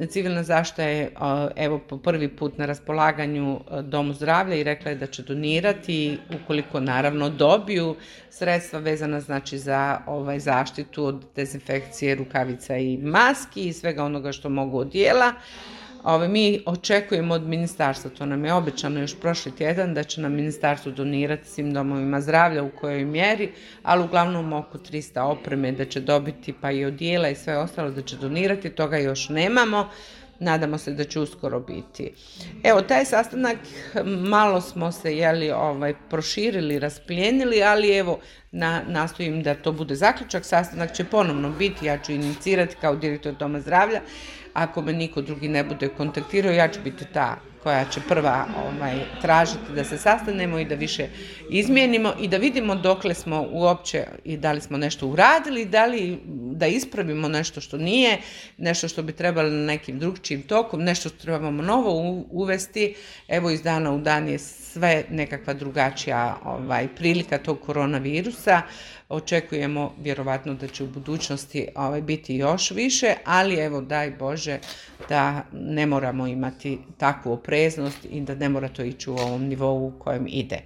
Civilna zaštita je evo po prvi put na raspolaganju Domu zdravlja i rekla je da će donirati ukoliko naravno dobiju sredstva vezana znači za zaštitu od dezinfekcije rukavica i maski i svega onoga što mogu od dijela. Mi očekujemo od ministarstva, to nam je obećano još prošli tjedan, da će nam ministarstvo donirati svim domovima zdravlja u kojoj mjeri, ali uglavnom oko 300 opreme da će dobiti, pa i odijela i sve ostalo da će donirati, toga još nemamo. Nadamo se da će uskoro biti. Evo, taj sastanak malo smo se proširili, rasplijenili, ali evo, nastojim da to bude zaključak. Sastanak će ponovno biti, ja ću inicirati kao direktor Doma zdravlja. Ako me niko drugi ne bude kontaktirao, ja ću biti ta koja će prva tražiti da se sastanemo i da više izmijenimo i da vidimo dokle smo uopće i da li smo nešto uradili, da li da ispravimo nešto što nije, nešto što bi trebalo na nekim drugčijim tokom, nešto što trebamo novo uvesti. Evo, iz dana u dan je sve nekakva drugačija prilika tog koronavirusa. Očekujemo vjerovatno da će u budućnosti biti još više, ali evo daj Bože da ne moramo imati takvu opreznost i da ne mora to ići u ovom nivou u kojem ide.